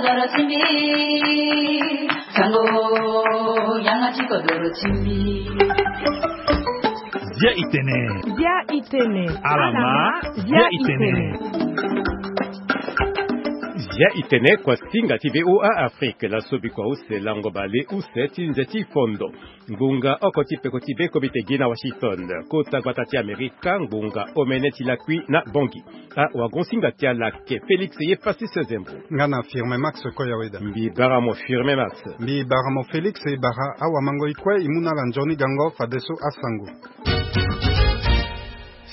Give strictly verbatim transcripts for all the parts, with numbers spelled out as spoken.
Zia itene. Zia itene. Alama. Zia itene. Zia itene kua singa ti VOA Afrique. Laso bikua use lango bale use ti nze ti fondo. Ngbonga oko ti peko ti be komite gi na Washington. Kota gbata ti Amerika, ngbonga omene ti lakui na Bangui. Awagonsinga ti ala ake Félix ye Pastus Zembo. Nga na Firmin Max Koyaweda. Mbi bara mo Firmin Max. Mbi bara mo Félix, e bara awamangoi kue e mu na ala nzoni gango fadeso asango.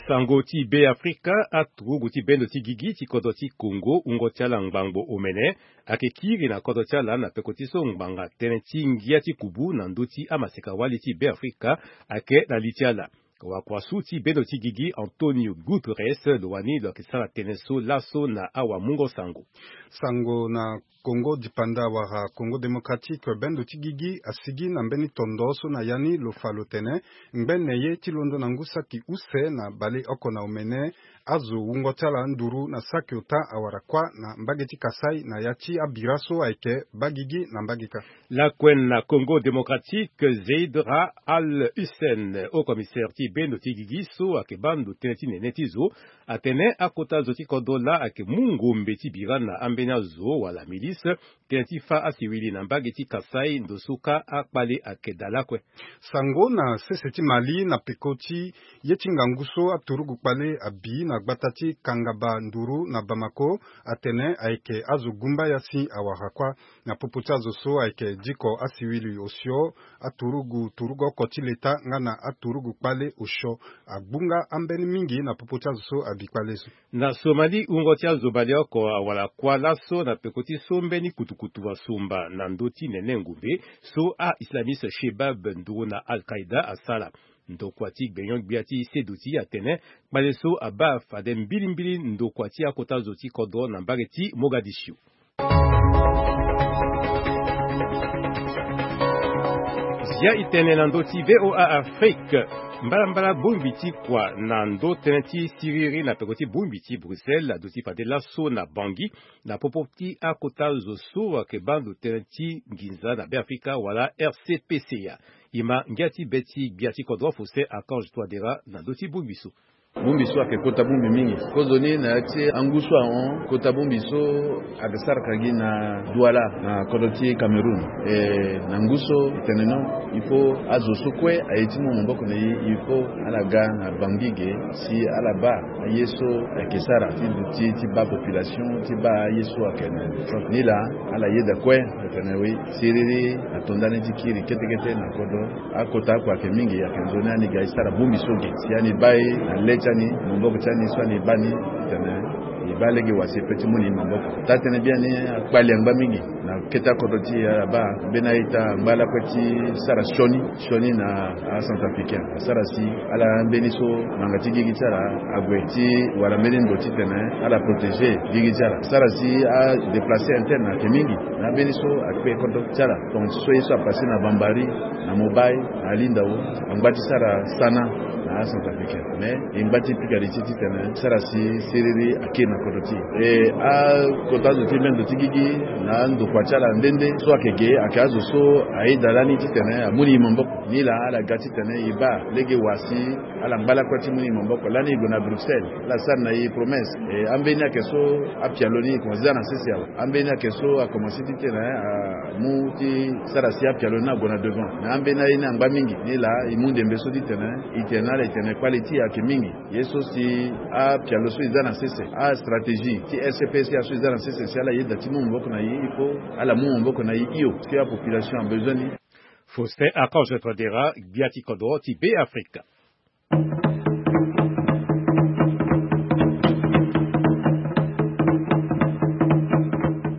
Sango ti Be Afrika, aturugu ti bendo ti gigi ti kodro ti Congo, wungo ti ala ngbangbo omene, ayeke kiri na kodro ti ala na peko ti so ngbanga tënë ti ngia ti kubu na ndö ti amaseka-wali ti Be Afrika ayeke na li ti ala. Wakua su ti bendo ti gigi Antonio Guterres lo wani lo yeke sara tënë so laso na awamungo sango. Sango na Congo dipanda wala Congo Démocratique, bendo ti gigi asigi na mbeni tondo so na ya ni lo fa lo tene ngbene ye ti londo na ngu saki use na baleoko na omene azo wungo ti ala nduru na saki ota awara kuâ na mbage ti Kasaï na ya ti abira so ayeke baa gigi na mbage kâ. Lakue na Congo Démocratique, Zeid Ra'ad Al Hussein, haut commissaire ti bendo ti gigi so ayeke baa ndo tënë ti nene ti zo, atene akota zo ti kodro laa ayeke mu ngombe ti bira na ambeni azo wala milice, tënë ti fâ asiwili na mbage ti Kasaï, ndo so kâ akpale ayeke daa lakue. Sango na sese ti Mali na peko ti ye ti ngangu so aturugu kpale abi na gbata ti Kangaba nduru na Bamako, atene ayeke azo gumbaya si awara kuâ. Na popo ti azo so ayeke diko asiwili osio, aturugu turugu oko ti leta nga na aturugu kpale osio agbunga ambeni mingi na popo ti azo so abi kpale so. Na Somalie, wungo ti azo baleoko awara kuâ laso na peko ti so mbeni kutukutu asomba na ndö ti nene ngombe so a-islamiste Shebab nduru na Al-Qaïda asara. Ndokua ti gbenyo-gbia ti seduti atene kpale so abaa fade mbilimbili ndokua ti akota zo ti kodro na mbage ti Mogadiscio. Zia itene na ndö ti VOA Afrique. Mbalambala bongbi ti kua na ndö tënë ti siriri na peko ti bongbi ti Bruxelles aduti fade laso na Bangui na popo ti akota zo so ayeke baa ndo tënë ti nginza na Beafrika wala R C P C A. E ma ngia ti be ti gbia ti kodro Faustin Archange Touadéra na ndö ti bongbi so. Bongbi so ayeke kota bongbi mingi. Kozoni na ya ti angu so ahon, kota bongbi so ayeke saraka gi na Douala na kodro ti Cameroun. E, na ngu so e tene non, il faut azo so kue aye ti mu maboko na e, il faut ala ga na Bangui ge si ala baa aye so ayeke sara ti duti ti baa population, ti baa aye so ayeke na ni laa ala yeda kue. Atene oui, siriri ato ndani ti kiri kete kete na kodro. Akota akua ayeke mingi, ayeke nzoni ani ga e sara bongbi so ge si ani baa e na le ti ani, maboko ti ani so ani baa ni. Tene e baa lege wa si e pe ti mu ni maboko. Taa-tënë biani akpali angba mingi na kete akodro ti e. Ala baa mbeni a-ita angba lakue ti sara sioni, sioni na acentrafricain. Asara si ala mbeni so ngbanga ti gigi ti ala ague ti wara mbeni ndo titene ala protéger gigi ti ala. Asara si adéplacer interne ayeke mingi na ambeni so akpe kodro ti ala. Donc so ye so apasser na Bambari, na Mobay, na Alindao, angba ti sara sana na acentrafricain. Mais e ngba ti pika li ti titene sara si siriri akiri na kodro ti e. E, akota azo ti mbeni ndo ti gigi na andokua ti ala nde nde so ayeke ge ayeke azo so ayeda lani titene amu ni maboko. Ni laa ala ga titene e baa lege wa si ala ngba lakue ti mu ni maboko. Lani e gue na Bruxelles, ala sara na e promesse. E, ambeni ayeke so apialo ni e komanse za na sese awe. Ambeni ayeke so akomanse titene amu ti sara si apialo ni ague na devant. Na ambeni aye ni angba mingi. Ni laa e mu ndembe so titene e tene na ala e tene kpale ti e ayeke mingi. Ye so si apialo so e za na sese, astratégie ti R C P C A so e za na sese, si ala yeda ti mu maboko na e, il faut ala mu maboko na e hio, si apopulation abezoin ni. Faustin Archange Touadéra, gbia ti kodro ti Beafrika.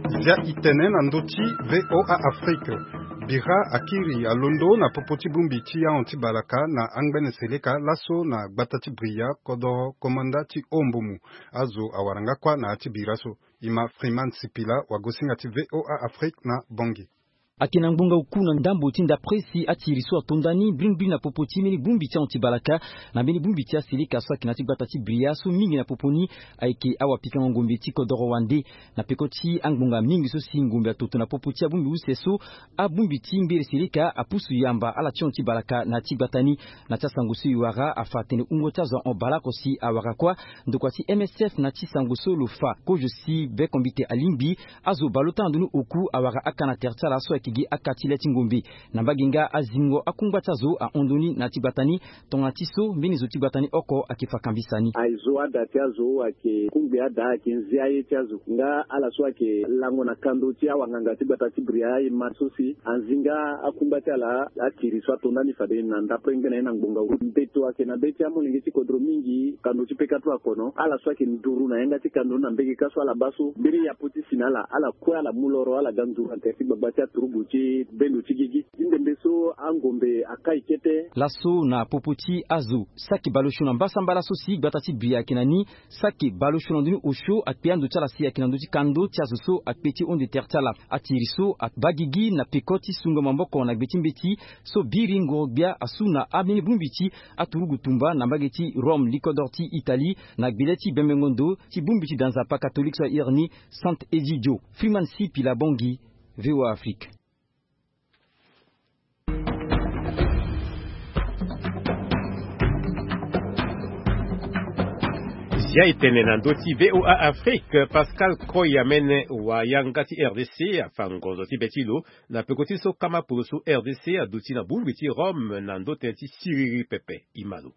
Zia itene na ndö ti VOA Afrique. Bira akiri alondo na popo ti bongbi ti ahon ti balaka na angbene seleka laso na gbata ti Bria, kodro komanda ti Ombomu. Azo awara nga kuâ na ya ti bira so. E ma Freeman Sipila, wagosinga ti VOA Afrique na Bangui. Ayeke na ngbonga oku na ndambo ti ndapre si atiri so atonda ni brimbri na popo ti mbeni bongbi ti ahon ti balaka na mbeni bongbi ti aseleka so ayeke na ya ti gbata ti Bria so mingi na popo ni ayeke awapikango ngombe ti kodoro wande. Na peko ti angbonga mingi so si ngombe atoto na popo ti abongbi use so, abongbi ti mbere seleka apusu yamba ala ti hon ti balaka na ya ti gbata ni. Na ya ti asango so e wara afa atene wungo ti azo ahon baleoko si awara kuâ. Ndokua ti M S F na ya ti sango so lo fa kozo si bekombite alingbi azo baleota na ndoni oku awara aka na tere ti ala so ayeke gi aka ti le ti ngombe. Na mbage nga azingo akungba ti azo ahon ndoni na ya ti gbata ni. Tongana ti so mbeni zo ti gbata ni oko ayeke fa kambisa ni. Azo ada ti azo ayeke kungbi ada ayeke nzia ye ti azo nga ala so ayeke lango na kando ti awanganga ti gbata ti Bria e ma so si anzinga akungba ti ala. Akiri so atonda ni fade na ndapre ngbene ye na ngbonga oku mbeto ayeke na be ti amolenge ti kodro mingi kando ti peka tu akono ala so ayeke nduru na yanga ti kando na mbege ka so ala baa so mbeni yapo ti si na ala ala kue ala mu loro ala ga nduru na tere ti gbagba ti aturugu ti bendo ti gigi ti ndembe so angombe akai kete. Laso na popo ti azo saki baleosio na mbasambala so si gbata ti Bria ayeke na ni. Saki baleosio na ndoni osio akpe ando ti ala si ayeke na ndö ti kando ti azo so akpe ti honde tere ti ala. Atiri so abaa gigi na peko ti sungo maboko na gbe ti mbeti so biri ngoro-gbia asu na ambeni bongbi ti aturugu tumba na mbage ti Rome likodoro ti Italie na gbele ti bembengo ndo ti bongbi ti danzapa katolike so ahiri ni Saint Egidio. Freeman C Pila Bongi, V O A Afrique. Zia e tene na ndö ti V O A Afrique, Pascal Koyamene wa yanga ti R D C afa ngonzo ti be ti lo na peko ti so kama poroso R D C aduti na bongbi ti Rome na ndö tënë ti siriri pepe. E ma lo.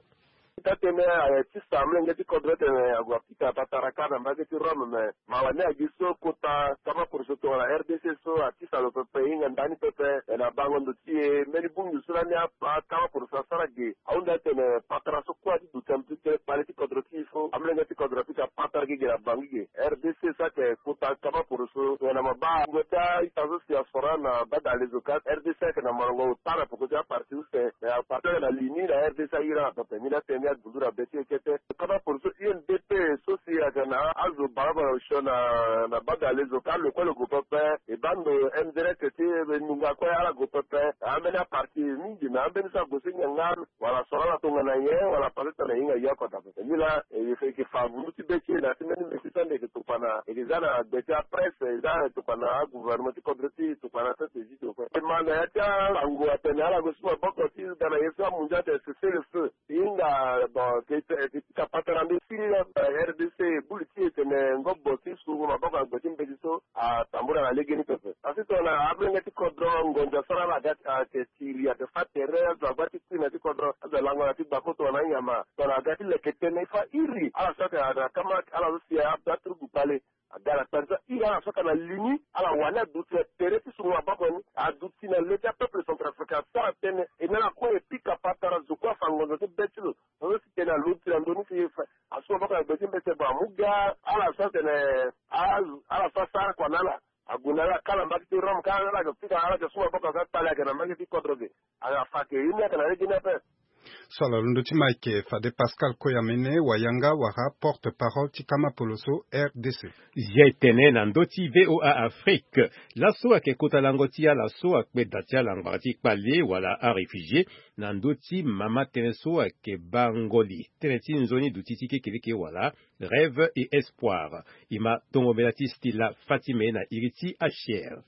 Ita tene aye ti sa mlenge ti kodro tene ague apika patara kâ na mbage ti Rome me mawa ni agi so kota kama poroso tongana R D C so atisa lo pepe e hinga ndani pepe. Na bango ndo ti e mbeni bongbi so lani akama poroso asara ge ahunda atene patara so kue ati duti na mbi ti tene kpale ti kodro ti e so amlenge ti kodro apika patara ge ge na bangi ge. R D C so ayeke kota kama poroso tongana mabaa ngo daa ita so si asoro na bada alezo ka R D C ayeke na molongo ota na peko ti aparti use me aparti ayeke na li ni na R D C ahiri ala pepe ni na tene ni agundu na be ti e kete. Kama poroso U N D P so si ayeke na azo balabala osio na na bada alezo ka lo kue lo gue pepe. E baa ndo M D R ti e nunga kue ala gue pepe. Ambeni aparti mingi na ambeni so ague so hinga nga wala soro ala tongana nyen wala pase tongana e hinga ye oko daa pepe ni laa. E yeke fa vundu ti be ti e na ya ti mbeni mbeti so ande e yeke tokua na e yeke za na gbe ti apresse e za tokua na agouvernement ti kodro ti e tokua na sese zi tokua e ma na ya ti asango atene ala gue su maboko ti ga na ye so amunzu atene cessez le feu. Hinga bon ke ke ti ka patara mbi siri na R D C buli ti e tene ngobo ti sungu maboko na gbe ti mbeti so atambula na legeni pepe. Asi tongana ablenge ti kodro ngonzo asara ala ga ti ake tiri ake fa tere azo agba ti kui na ti kodro azo alango na ti gbako tongana anyama tongana aga ti leke tënë e fa iri ala so ake na kama ala so si abaturugu kpale. Aga na kpanza iri ala so ake na li ni ala wani aduti na tere ti sungu maboko ni aduti na le ti apeuple centrafricain asara tënë e na ala kue e pika patara zo kue afa ngonzo ti be ti lo. Azo si tene aloti na ndö ni si asu maboko na gbe ti mbeti abo amu ga ala so atene ala so asara kua na ala ague na ala ka na mbage ti Rome ka ala yeke fika ala yeke su maboko aga kpale ayeke na mbage ti kodro ge. Ala fa ayeke ye ni ayeke na legeni ape. So ala londo ti ma ayeke fade Pascal Koyamene wayanga wala porte parole ti kama poloso R D C. Zia e tene na ndö ti V O A Afrique. Laso ayeke kota lango ti ala so akpe da ti ala ngbanga ti kpale wala aréfugié na ndö ti mama tënë so ayeke baa ngoli tënë ti nzoni duti ti kekereke wala rêve et espoir. E ma tongo mbela ti Stella Fatime na iri ti H C R.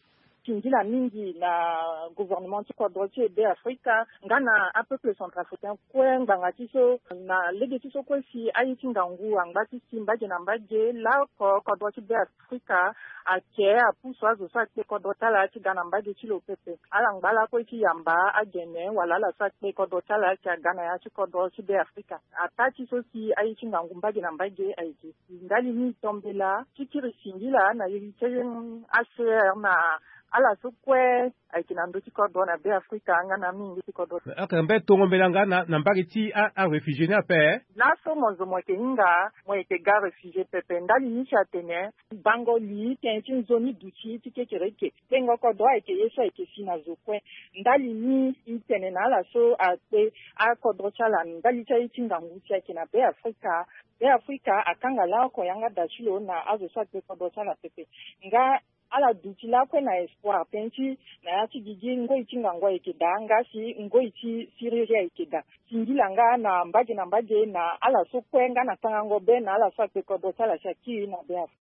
Singila mingi na gouvernement ti kodro ti e Be Afrika nga na apeuple centrafricain kue ngbanga ti so na lege ti so kue si aye ti ngangu angba ti si mbage na mbage laoko kodro ti Be Afrika ake apusu azo so akpe kodro ti ala ti ga na mbage ti lo pepe. Ala ngba lakue ti yamba agene wala ala so akpe kodro ti ala ake aga na ya ti kodro ti Be Afrika. Ataa ti so si aye ti ngangu mbage na mbage ayeke si ndali ni e to mbela ti kiri singila na iri ti H C R na ala so kue ayeke na ndö ti kodro na Be Afrika nga na amolenge ti kodro. Ake mbe tongo mbela nga na mbage ti aréfugié ni ape. Laso mo zo mo yeke hinga mo yeke ga réfugié pepe ndali ni si atene bango li tënë ti nzoni duti ti kekereke kpengo kodro ayeke ye so ayeke si na zo kue. Ndali ni e tene na ala so akpe akodro ti ala ndali ti aye ti ngangu si ayeke na Be Afrika. Be Afrika akanga laoko yanga da ti lo na azo so akpe kodro ti ala pepe. Nga Ala duti lakue na espoir tënë ti na ya ti gigi ngoi ti ngangu ayeke daa nga si ngoi ti siriri ayeke daa. Singila nga na mbage na mbage na ala so kue nga na tangango be na ala so akpe kodro ti ala si akiri na be afu.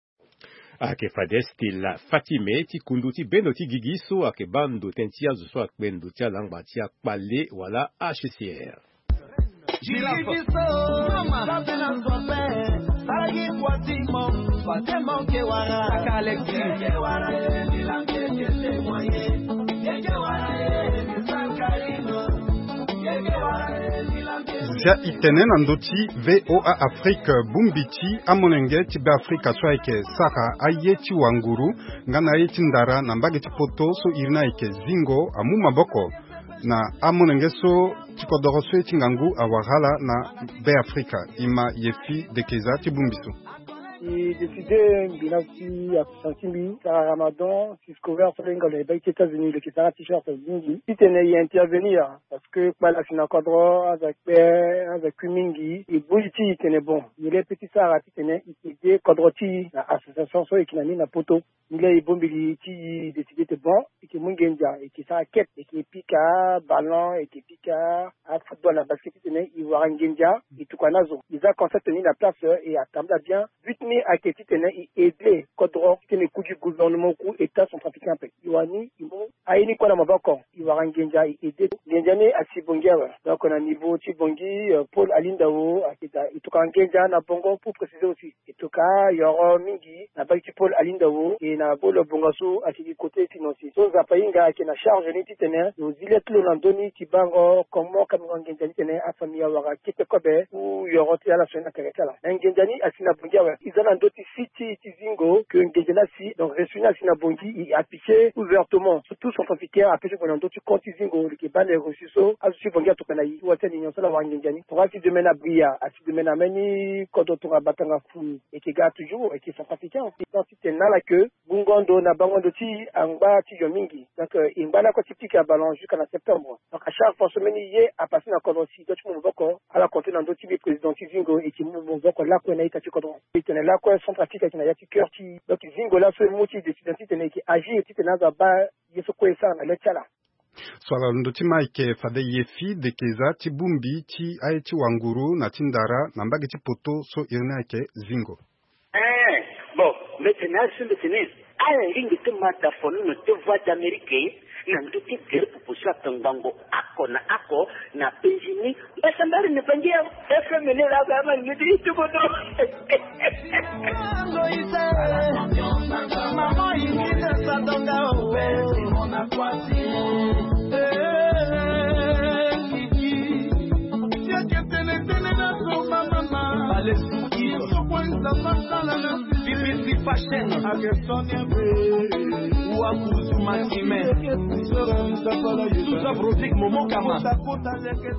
Ayeke fade stela fatime ti kundu ti bendo ti gigi so ayeke baa ndo tënë ti azo so akpe ndo ti alangba ti akpale wala hcr. Zia itene na ndö ti voa afrique bongbi ti amolenge ti be afrika so ayeke sara aye ti wanguru nga na aye ti ndara na mbage ti poto so iri ni ayeke zingo amu maboko na amolenge so ti kodoro so ye ti ngangu awara ala na be afrika. Ima yefi dekeza ti bongbi so. I décide mbi na si association ti mbi sara ramadan si scover so le ngalo e bai ti états-unis lo yeke sara t-shirt mingi titene i intervenir. Parce que kpale asi na kodro aza kpe aza kui mingi. I bongbi ti i tene bon i le pe ti sara titene i aide kodro ti i na association so e yeke na ni na poto. Ni le i bongbi li ti i décide te bon i yeke mu ngenza i yeke sara kete i yeke pika ballon i yeke pika afootball na basket titene i wara ngenza. I tokua na azo i za concept ni na place e atambula bien. But ni ayeke titene i aide kodro titene i ku gi gouvernement ku état centrafricain ape. I wara ni i mu aye ni kue na maboko i wara ngenza i aide. Ngenza ni asi bongi awe. Donc na niveau ti bongi paul alindao ayeke daa i tokua ngenza na bongo pour préciser aussi. E tokua yoro mingi na bagi ti paul alindao e na bolo bonga so ayeke gi côté financier so nzapa hinga ayeke na charge ni titene lo zi le ti lo na ndö ni ti bango comment kamingo ngenza ni titene afamille awara kete kobe ou yoro ti ala so ni na keke ti ala. Na ngenza ni asi na bongi awe i za na ndö ti si ti ti zingo ke ngenza ni asi donc reçu ni asi na bongi i appliquer ouvertement so tout centrafricain apesi gue na ndö ti compte ti zingo lo yeke baa na reçu so azo ti bongi atokua na i ti wa ti alinion so ala wara ngenza ni tongana asi domaine abria asi domaine ameni kodro tongana batanga fu. Eke ga toujours eke centrafricain aussi donc titene na ala ke bungo ndo na bango ndo ti angba ti yo mingi. Donc e ngba na kue ti pika ballon jusqu'à na septembre. Donc à chaque fois so mbeni ye apasse na kodro si do ti mu maboko ala compte na ndö ti mbi président ti zingo eke mu maboko lakue na ita ti kodro. Etene lakue centrafrique ayeke na ya ti cœur ti donc zingo laso e mu ti décision titene eke agir titene azo abaa ye so kue e sara na le ti ala. So ala londo ti ma ayeke fade ye fi dekeza ti bongbi ti aye ti wanguru na ti ndara na mbage ti poto so iri ni ayeke zingo. Eh, bon, mbetene asu mbetene ala lingbi ti ma dafonono ti voix d'amérique na ndö ti gere pupu so atongbango ako na ako na penzi ni. Mbasambari ni bangi ya fm ni la ba ma ni ti tuko do.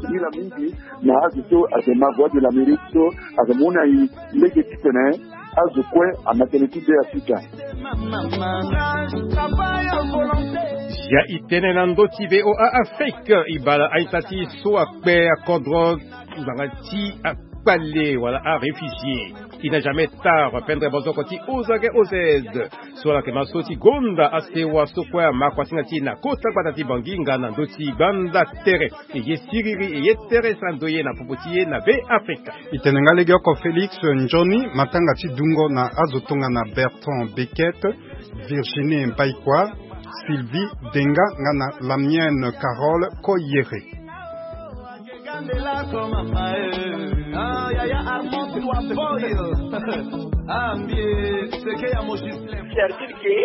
Ila mingi na azo so ayeke ma voix de l'amérique so ayeke mu na i lege titene azo kue amatene ti be afrika. Ya i tene na ndö ti voa afrique i bala a-ita ti so akpe akodro ngbanga ti akpale wala aréfugié. I na jamais tard pendre bozoko ti ozage ozed so ala yeke ma so ti gonda asewa so kue ama kuasinga ti e na kota gbata ti bangi nga na ndö ti gbanda tere. Eye siriri eye tere sara ndoye na popo ti ye na be afrika. I tene nga legeoko félix nzoni matanga ti dungo na azo tongana bertrand bequet, virginie mbaikua, sylvie denga nga na lamienne carole koyere. Certitude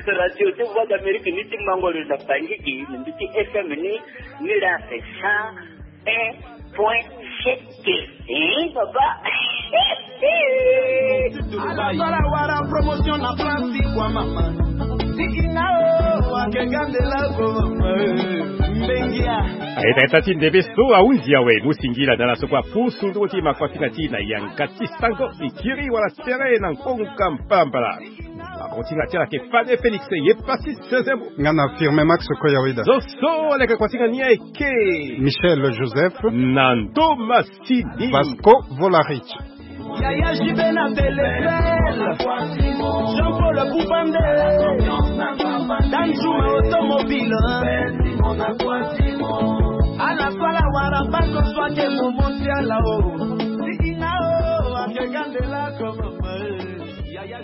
ke radio ti voix d'amérique ni ti mangoro na bangigi na mbi ti fm ni. Ni la c'est ça un point gt. Hein papa. Ala wara promotion na place ti kua mama. Tikina o akengande la ko mama. Mbengia. Ayeta yeta ti ndembe so ahunzi awe mu singila na ala so kue apusu ndungo ti makuasinga ti na yanga ti sango e kiri wala tere na nkonga mpalambala. Makontinga ti ala yeke fade félix ye pasi sezembo. Nga na firme max koyawida. Zo so ala yeke kuasinga ni ayeke michel joseph na ndo masini vasco volarich. Yaya jibe na telefel jean paul bubande. Zuma automobile. Ala fala wara baso so ake momo ti ala o. Ti ina o, ake gandela comme. Yaya.